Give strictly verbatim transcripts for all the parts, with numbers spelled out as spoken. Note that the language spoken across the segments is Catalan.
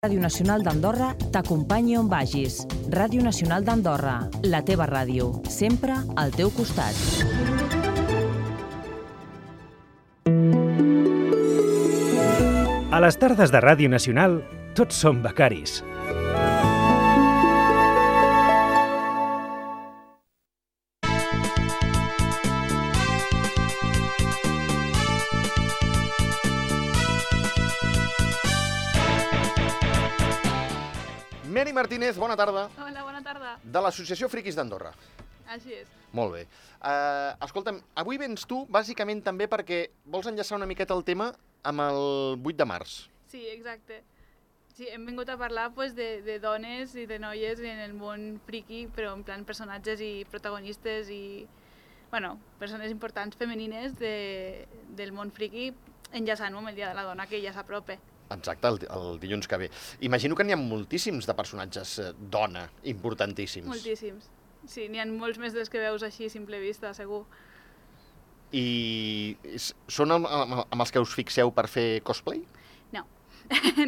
Ràdio Nacional d'Andorra t'acompanyi on vagis. Ràdio Nacional d'Andorra, la teva ràdio, sempre al teu costat. A les tardes de Ràdio Nacional, tots som becaris. Mary Martínez, bona tarda. Hola, bona tarda. De l'Associació Friquis d'Andorra. Així és. Molt bé. Uh, escolta'm, avui vens tu bàsicament també perquè vols enllaçar una miqueta el tema amb el vuit de març. Sí, exacte. Sí, hem vingut a parlar pues, de, de dones i de noies en el món friqui, però en plan personatges i protagonistes i bueno, persones importants femenines de, del món friqui, enllaçant-ho amb el Dia de la Dona, que ja s'apropa. Exacte, el, el dilluns que ve. Imagino que n'hi ha moltíssims de personatges eh, dona, importantíssims. Moltíssims. Sí, n'hi ha molts més dels que veus així a simple vista, segur. I són amb, amb, amb els que us fixeu per fer cosplay? No,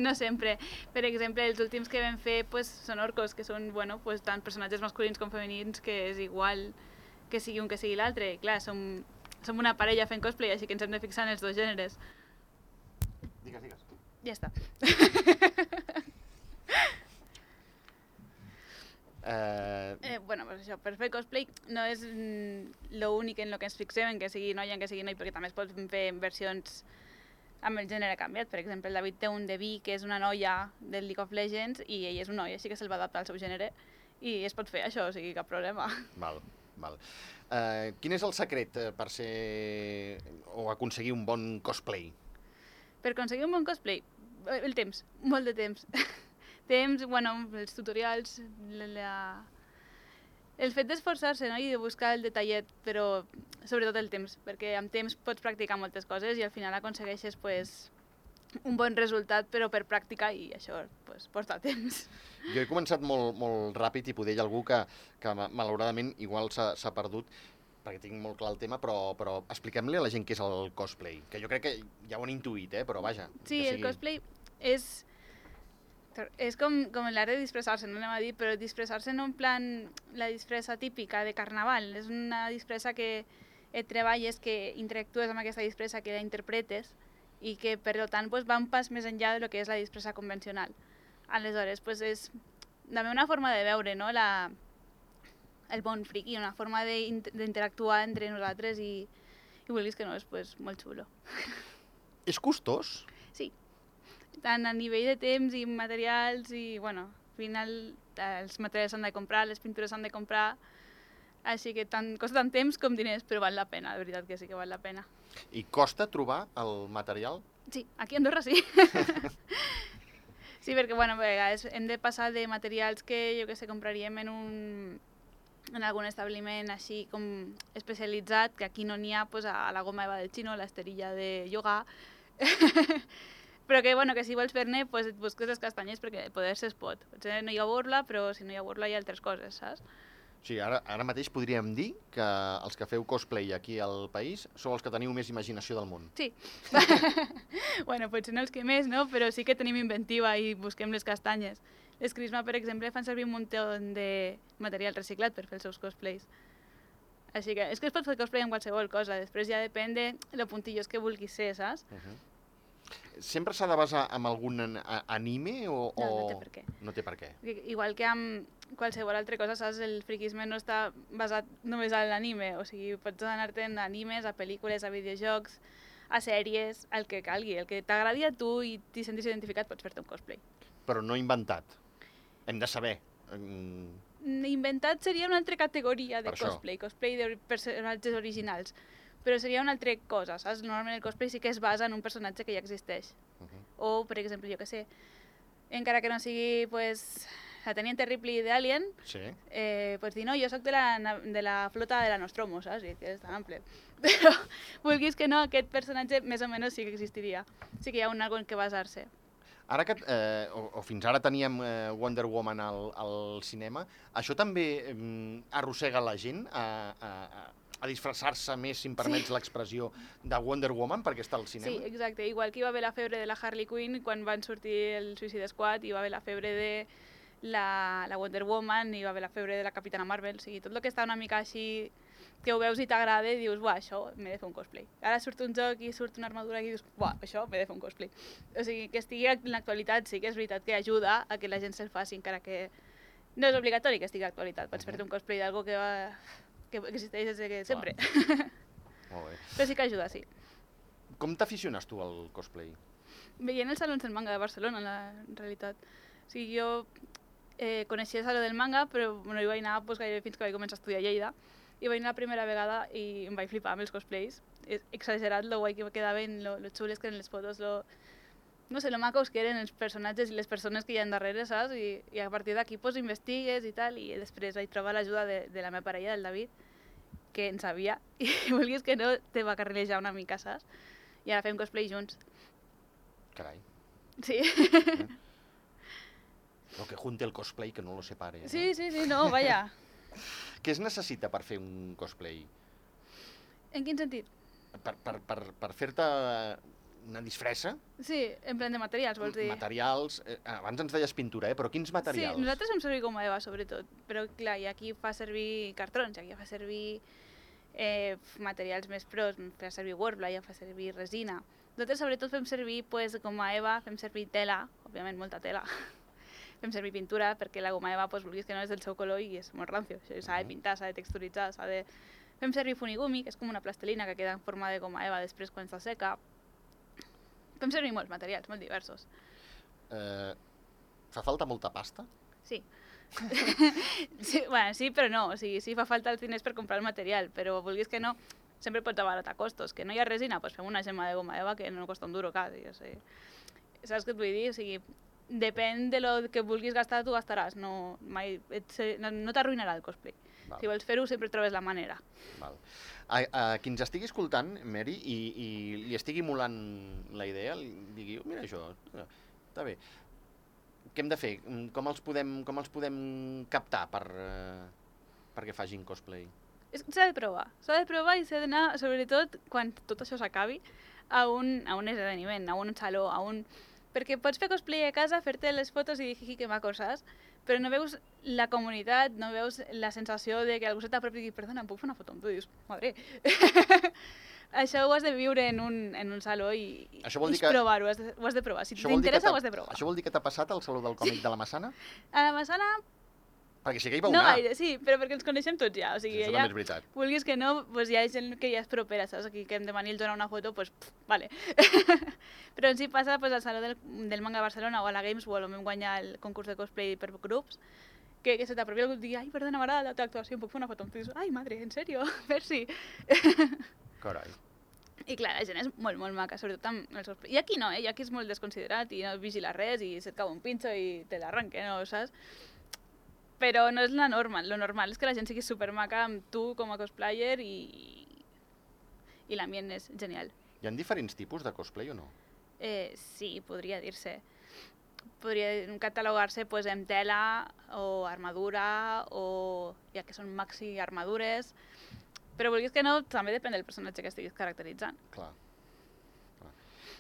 no sempre. Per exemple, els últims que vam fer pues, són orcos, que són bueno, pues, tant personatges masculins com femenins, que és igual que sigui un que sigui l'altre. Clar, som, som una parella fent cosplay, així que ens hem de fixar en els dos gèneres. Digues, digues. Ja està. Uh... eh, bueno, pues això, per fer cosplay no és mm, l'únic en el que ens fixem, en que sigui noia, en que sigui noi, perquè també es pot fer versions amb el gènere canviat. Per exemple, el David té un Devi, que és una noia del League of Legends, i ell és un noi, així que se'l va adaptar al seu gènere, i es pot fer això, o sigui, cap problema. Val, val. Uh, quin és el secret per ser o aconseguir un bon cosplay? Per aconseguir un bon cosplay, el temps, molt de temps. Temps, bueno, els tutorials, la, la... el fet d'esforçar-se, no? I de buscar el detallet, però sobretot el temps, perquè amb temps pots practicar moltes coses i al final aconsegueixes pues, un bon resultat, però per pràctica, i això pues, porta temps. Jo he començat molt, molt ràpid i poder hi ha algú que, que malauradament igual s'ha perdut, perquè tinc molt clar el tema, però, però expliquem-li a la gent què és el cosplay, que jo crec que ja ho han intuït, eh? Però vaja. Sí, sigui... el cosplay és, és com, com l'art de disfressar-se, no anem a dir, però disfressar-se no en plan la disfressa típica de carnaval, és una disfressa que et treballes, que interactues amb aquesta disfressa, que la interpretes i que per tant pues, va un pas més enllà de lo que és la disfressa convencional. Aleshores, pues, és també una forma de veure, no? la... el bon friqui, una forma d'interactuar entre nosaltres i, i vulguis que no, és pues, molt xulo. És costós? Sí, tant a nivell de temps i materials i, bueno, al final els materials s'han de comprar, les pintures s'han de comprar, així que tant, costa tant temps com diners, però val la pena, de veritat que sí que val la pena. I costa trobar el material? Sí, aquí a Andorra sí. Sí, perquè, bueno, a vegades hem de passar de materials que, jo que sé, compraríem en un... en algun establiment així com especialitzat, que aquí no n'hi ha, pues, a la goma eva del xino, l'esterilla de yoga, però que, bueno, que si vols fer-ne, pues, et busques les castanyes perquè poder-se es pot. Potser no hi ha borla, però si no hi ha borla hi ha altres coses, saps? Sí, ara, ara mateix podríem dir que els que feu cosplay aquí al país sou els que teniu més imaginació del món. Sí. Bueno, potser no els que més, no? Però sí que tenim inventiva i busquem les castanyes. Les Crisma, per exemple, fan servir un munt de material reciclat per fer els seus cosplays. Així que és que es pot fer cosplay amb qualsevol cosa, després ja depèn de lo puntillos que vulguis ser, saps? Uh -huh. Sempre s'ha de basar en algun anime o...? No, no té per què. No té per què. Igual que amb qualsevol altra cosa, saps? El friquisme no està basat només en l'anime, o sigui, pots anar-te'n a animes, a pel·lícules, a videojocs, a sèries, el que calgui, el que t'agradi a tu i t'hi sentis identificat, pots fer-te un cosplay. Però no inventat. Hem de saber. Inventat seria una altra categoria de cosplay, cosplay de personatges originals, però seria una altra cosa, saps? Normalment el cosplay sí que es basa en un personatge que ja existeix. Uh -huh. O, per exemple, jo que sé, encara que no sigui pues, la Teniente Ripley d'Alien, sí. eh, pues dir, no, jo soc de la, de la flota de la Nostromo, saps? I que és tan ample. Però, vulguis que no, aquest personatge més o menys sí que existiria. Sí que hi ha un algo en què basar-se. Ara que, eh, o, o fins ara teníem eh, Wonder Woman al, al cinema, això també eh, arrossega la gent a, a, a, a disfressar-se més, si em permets sí. l'expressió, de Wonder Woman perquè està al cinema. Sí, exacte. Igual que hi va haver la febre de la Harley Quinn quan van sortir el Suicide Squad, hi va haver la febre de la, la Wonder Woman, hi va haver la febre de la Capitana Marvel, o sigui, tot el que està una mica així que ho veus i t'agrada i dius, buah, això m'he de fer un cosplay. Ara surt un joc i surt una armadura i dius, buah, això m'he de fer un cosplay. O sigui, que estigui en l'actualitat sí que és veritat que ajuda a que la gent se'l faci, encara que no és obligatori que estigui a l'actualitat. Pots uh -huh. fer-te un cosplay d'algo que, va... que existeix des de sempre. Molt bé. Però sí que ajuda, sí. Com t'aficiones tu al cosplay? Veient els salons del manga de Barcelona, en, la, en realitat. O sigui, jo eh, coneixia el saló del manga, però bueno, hi vaig anar pues, gairebé fins que vaig començar a estudiar a Lleida. I vaig anar la primera vegada i em vaig flipar amb els cosplays. És exagerat lo guai que quedaven, lo, lo xules que eren les fotos, lo, no sé, lo macos que eren els personatges i les persones que hi ha darrere, saps? I, i a partir d'aquí pues, investigues i tal, i després vaig trobar l'ajuda de, de la meva parella, del David, que en sabia, i vulguis que no, te va carrilejar una mica, saps? I ara fem cosplay junts. Carai. Sí. Eh? Lo que junte el cosplay que no lo separe. Sí, no? sí, sí, no, vaja. Què es necessita per fer un cosplay? En quin sentit? Per, per, per, per fer-te una disfressa? Sí, en plan de materials, vols dir? Materials... Eh, abans ens deies pintura, eh? Però quins materials? Sí, nosaltres fem servir goma eva, sobretot. Però, clar, hi ha qui fa servir cartrons, hi ha qui fa servir eh, materials més pros, fa servir Worbla, hi fa servir resina. Nosaltres, sobretot, fem servir pues, goma eva, fem servir tela, òbviament molta tela. Fem servir pintura, perquè la goma eva, pues, vulguis que no, és del seu color i és molt rancio. S'ha de pintar, s'ha de texturitzar, s'ha de... Fem servir funigumi, que és com una plastelina que queda en forma de goma eva després quan està seca. Fem servir molts materials, molt diversos. Eh, fa falta molta pasta? Sí. sí. Bueno, sí, però no. O sigui, sí fa falta els diners per comprar el material, però vulguis que no, sempre pots abaratar costos. Que no hi ha resina, doncs fem una gemma de goma eva que no costa un duro quasi. O sigui, saps què et vull dir? O sigui, depèn de lo que vulguis gastar, tu gastaràs. No, mai, et, no, no t'arruïnarà el cosplay. Val. Si vols fer-ho, sempre trobes la manera. Val. A, a qui ens estigui escoltant, Mary, i, i li estigui molant la idea, li digui, oh, mira això, està bé. Què hem de fer? Com els podem, com els podem captar per, uh, perquè facin cosplay? S'ha de provar. S'ha de provar i s'ha d'anar, sobretot, quan tot això s'acabi, a un, a un esdeveniment, a un saló, a un... Perquè pots fer cosplay a casa, fer-te les fotos i dir, que maco, saps? Però no veus la comunitat, no veus la sensació de que algú se t'apropi i digui, perdona, em puc fer una foto amb tu? I dius, madre. Això ho has de viure en un, en un saló i, i que... provar-ho, has de, ho has de provar. Si t'interessa, ho has de provar. Això vol dir que t'ha passat al Saló del Còmic de la Massana? A la Massana... Perquè sí que hi va no anar. gaire, sí, però perquè ens coneixem tots ja. O sigui, sí, això ja, també és veritat. Vulguis que no, doncs hi ha gent que ja és propera, saps? Aquí que hem de venir a donar una foto, doncs, pff, vale. Però en si passa pues, al Saló del, del Manga de Barcelona o a la Games World, on vam guanyar el concurs de cosplay per grups, que, que se t'apropi algú i digui, ai, perdona, m'agrada la teva actuació, em puc fer una foto amb tu? I dius, ai, madre, en sèrio? Merci. Carai. I clar, la gent és molt, molt maca, sobretot amb els cosplay. I aquí no, eh? I aquí és molt desconsiderat i no vigila res i se't cau un pinxo i te l'arranque, no, saps? Però no és la norma, lo normal és que la gent sigui supermaca amb tu com a cosplayer i, i l'ambient és genial. Hi ha diferents tipus de cosplay o no? Eh, sí, podria dir-se. Podria catalogar-se pues, en tela o armadura o ja que són maxi armadures, però vulguis que no, també depèn del personatge que estiguis caracteritzant. Clar.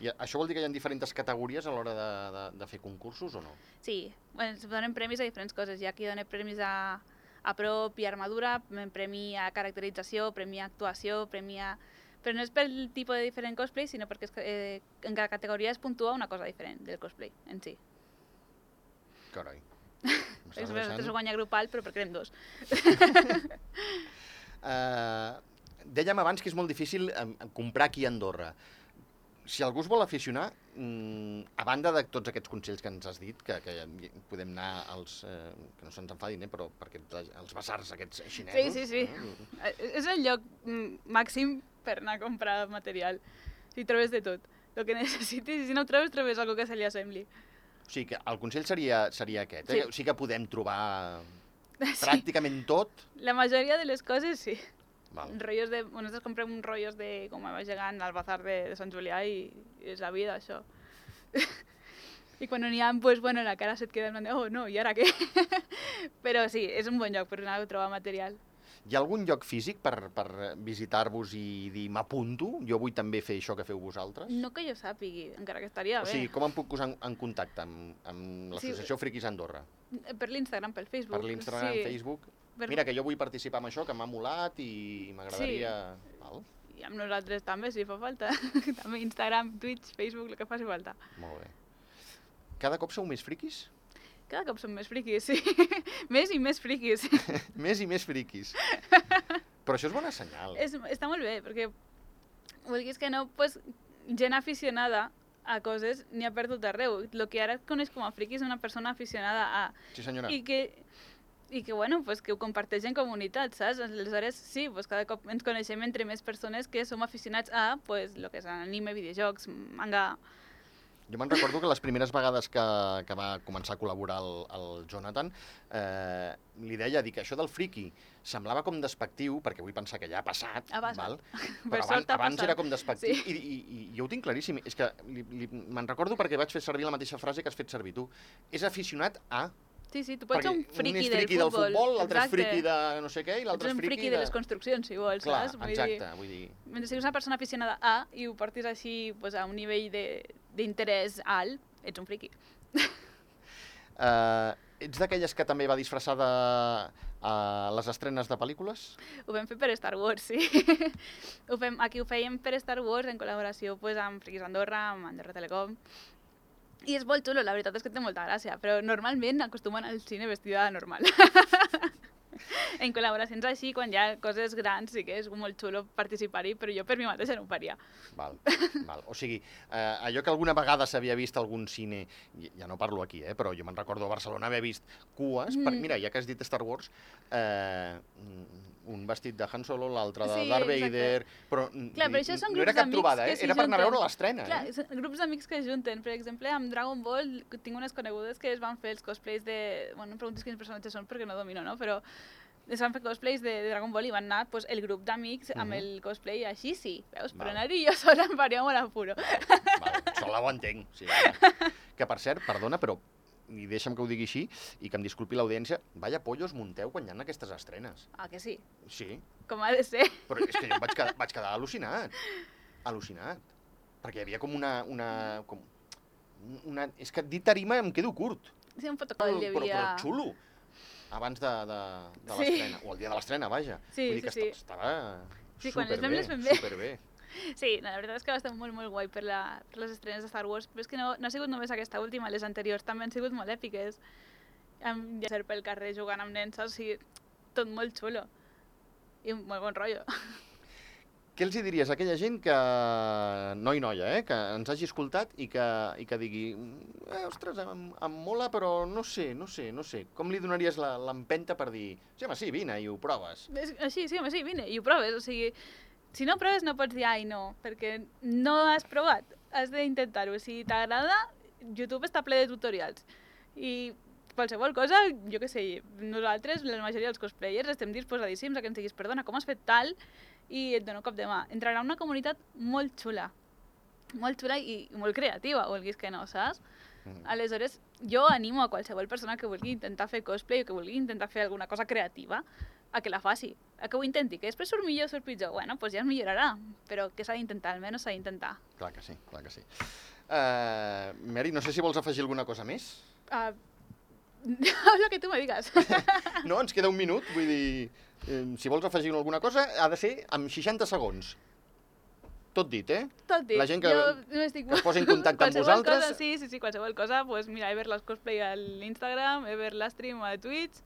I això vol dir que hi ha diferents categories a l'hora de, de, de fer concursos o no? Sí, bueno, es donen premis a diferents coses. Hi ha qui dona premis a, a prop i armadura, premi a caracterització, premi a actuació, premi a... Però no és pel tipus de diferent cosplay, sinó perquè es, eh, en cada categoria es puntua una cosa diferent del cosplay en si. Carai. Després ho guanya grupal, però perquè érem dos. uh, dèiem abans que és molt difícil um, comprar aquí a Andorra. Si algú es vol aficionar, a banda de tots aquests consells que ens has dit, que, que podem anar als... Eh, que no se'ns enfadin, eh, però perquè els basars aquests xinesos... Sí, sí, sí. Eh? És el lloc màxim per anar a comprar material. Si trobes de tot. El que necessitis, i si no ho trobes, trobes alguna que se li assembli. O sigui que el consell seria, seria aquest, eh? Sí. O sigui que podem trobar pràcticament tot. La majoria de les coses, sí. Val. Rollos de, nosaltres comprem uns rotllos de com va gegant al bazar de, de Sant Julià i, i és la vida, això. I quan n'hi ha, pues, bueno, la cara se't queda en plan de, oh, no, i ara què? Però sí, és un bon lloc per anar a trobar material. Hi ha algun lloc físic per, per visitar-vos i dir m'apunto? Jo vull també fer això que feu vosaltres? No que jo sàpigui, encara que estaria O bé. sigui, com em puc posar en, en contacte amb, amb l'associació Sí. Friquis Andorra? Per l'Instagram, pel Facebook. Per l'Instagram, sí. Facebook? Per- Mira, que jo vull participar en això, que m'ha molat i m'agradaria... Val? I amb nosaltres també, si fa falta. També Instagram, Twitch, Facebook, el que faci falta. Molt bé. Cada cop sou més friquis? Cada cop som més friquis, sí. Més i més friquis. Més i més friquis. Però això és bona senyal. És, està molt bé, perquè vulguis que no, pues, gent aficionada a coses n'hi ha per tot arreu. El que ara es coneix com a friqui és una persona aficionada a... Sí, senyora. I que, i que, bueno, pues, que ho comparteix en comunitat, saps? Aleshores, sí, pues, cada cop ens coneixem entre més persones que som aficionats a, pues, lo que és anime, videojocs, manga... Jo me'n recordo que les primeres vegades que, que va començar a col·laborar el, el Jonathan, eh, li deia dir que això del friki semblava com despectiu, perquè vull pensar que ja ha passat, Ha passat. val? Per Però abans, sort ha abans passat. era com despectiu, Sí. i, i, i jo ho tinc claríssim. És que li, li, me'n recordo perquè vaig fer servir la mateixa frase que has fet servir tu. És aficionat a... Sí, sí, tu pots ser un Perquè friqui, un és friqui del futbol. futbol, l'altre és exacte. friqui de no sé què, i Tu l'altre ets és un friqui friqui de les construccions, si vols, Clar, saps? Vull exacte, dir, vull dir... mentre siguis una persona aficionada a i ho portis així pues, a un nivell de- d'interès alt, ets un friqui. Uh, ets d'aquelles que també va disfressada a les estrenes de pel·lícules? Ho vam fer per Star Wars, sí. ho fem, aquí ho fèiem per Star Wars en col·laboració pues, amb Friquis Andorra, amb Andorra Telecom. I és molt xulo, la veritat és que té molta gràcia, però normalment acostumen al cine vestida de normal. En col·laboracions així, quan hi ha coses grans, sí que és molt xulo participar-hi, però jo per mi mateixa no ho faria. Val, val. O sigui, eh, allò que alguna vegada s'havia vist a algun cine, i- ja no parlo aquí, eh, però jo me'n recordo a Barcelona haver vist cues, per, Mm. mira, ja que has dit Star Wars, eh, un vestit de Han Solo, l'altre de Sí, Darth exacte. Vader, però, Clar, vull però dir, això són no era grups cap d'amics trobada, que eh? s'hi Era per anar a junten. veure l'estrena. Clar, Eh? són grups d'amics que es junten. Per exemple, amb Dragon Ball tinc unes conegudes que es van fer els cosplays de... Bueno, no em preguntis quins personatges són perquè no domino, no? Però es van fer cosplays de, de Dragon Ball i van anar pues, el grup d'amics amb Mhm. el cosplay així, sí. Veus? Però Val. anar-hi jo sola em faria molt apuro. Val, sola ho entenc. Sí, que, que, per cert, perdona, però i deixa'm que ho digui així, i que em disculpi l'audiència, vaya pollos munteu quan hi ha aquestes estrenes. Ah, que sí? Sí, Com ha de ser. però és que jo em vaig quedar, vaig quedar al·lucinat. Al·lucinat. Perquè hi havia com una... una, com una és que dir tarima em quedo curt. Sí, un Però, protocol hi però, havia... però xulo. Abans de, de, de Sí. l'estrena. O el dia de l'estrena, vaja. Sí, Vull dir que sí, sí. esta- estava Sí, quan les superbé, fem, les fem bé. superbé. Sí, la veritat és que va estar molt, molt guai per, la, per les estrenes de Star Wars, però és que no, no ha sigut només aquesta última, les anteriors també han sigut molt èpiques. Amb ser pel carrer jugant amb nens, saps? O sigui, tot molt xulo. I un molt bon rotllo. Què els hi diries a aquella gent que, noi noia, eh, que ens hagi escoltat i que, i que digui eh, ostres, em, em mola, però no sé, no sé, no sé. Com li donaries la- l'empenta per dir sí, home, sí, vine i ho proves? És, així, sí, home, sí, vine, i ho proves. O sigui, si no proves no pots dir ai no, perquè no has provat. Has d'intentar-ho. Si t'agrada, YouTube està ple de tutorials. I qualsevol cosa, jo què sé, nosaltres, la majoria dels cosplayers, estem disposadíssims a que ens diguis perdona, com has fet tal? I et dono un cop de mà. Entrarà una comunitat molt xula. Molt xula i molt creativa, vulguis que no, saps? Mm. Aleshores, jo animo a qualsevol persona que vulgui intentar fer cosplay o que vulgui intentar fer alguna cosa creativa a que la faci, a que ho intenti, que després surt millor o surt pitjor, bueno, doncs ja es millorarà, però que s'ha d'intentar, almenys s'ha d'intentar. Clar que sí, clar que sí. Uh, Mary, no sé si vols afegir alguna cosa més. Uh, lo que tu me digues. No, ens queda un minut, vull dir, eh, si vols afegir alguna cosa, ha de ser amb seixanta segons. Tot dit, eh? Tot dit. La gent que- jo no estic... que es posi en contacte amb Qualsevol vosaltres. Cosa, sí, sí, sí, qualsevol cosa, pues mira, he ver les cosplay a l'Instagram, he ver l'stream a Twitch,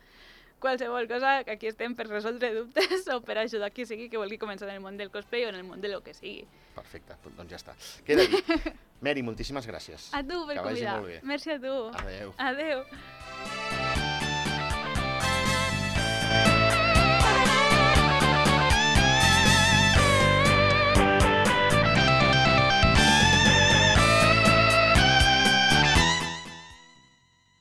qualsevol cosa, que aquí estem per resoldre dubtes o per ajudar qui sigui que vulgui començar en el món del cosplay o en el món de lo que sigui. Perfecte, doncs ja està. Queda dit. Mary, moltíssimes gràcies. A tu per Que vagi convidar. molt bé. Merci a tu. Adéu. Adéu.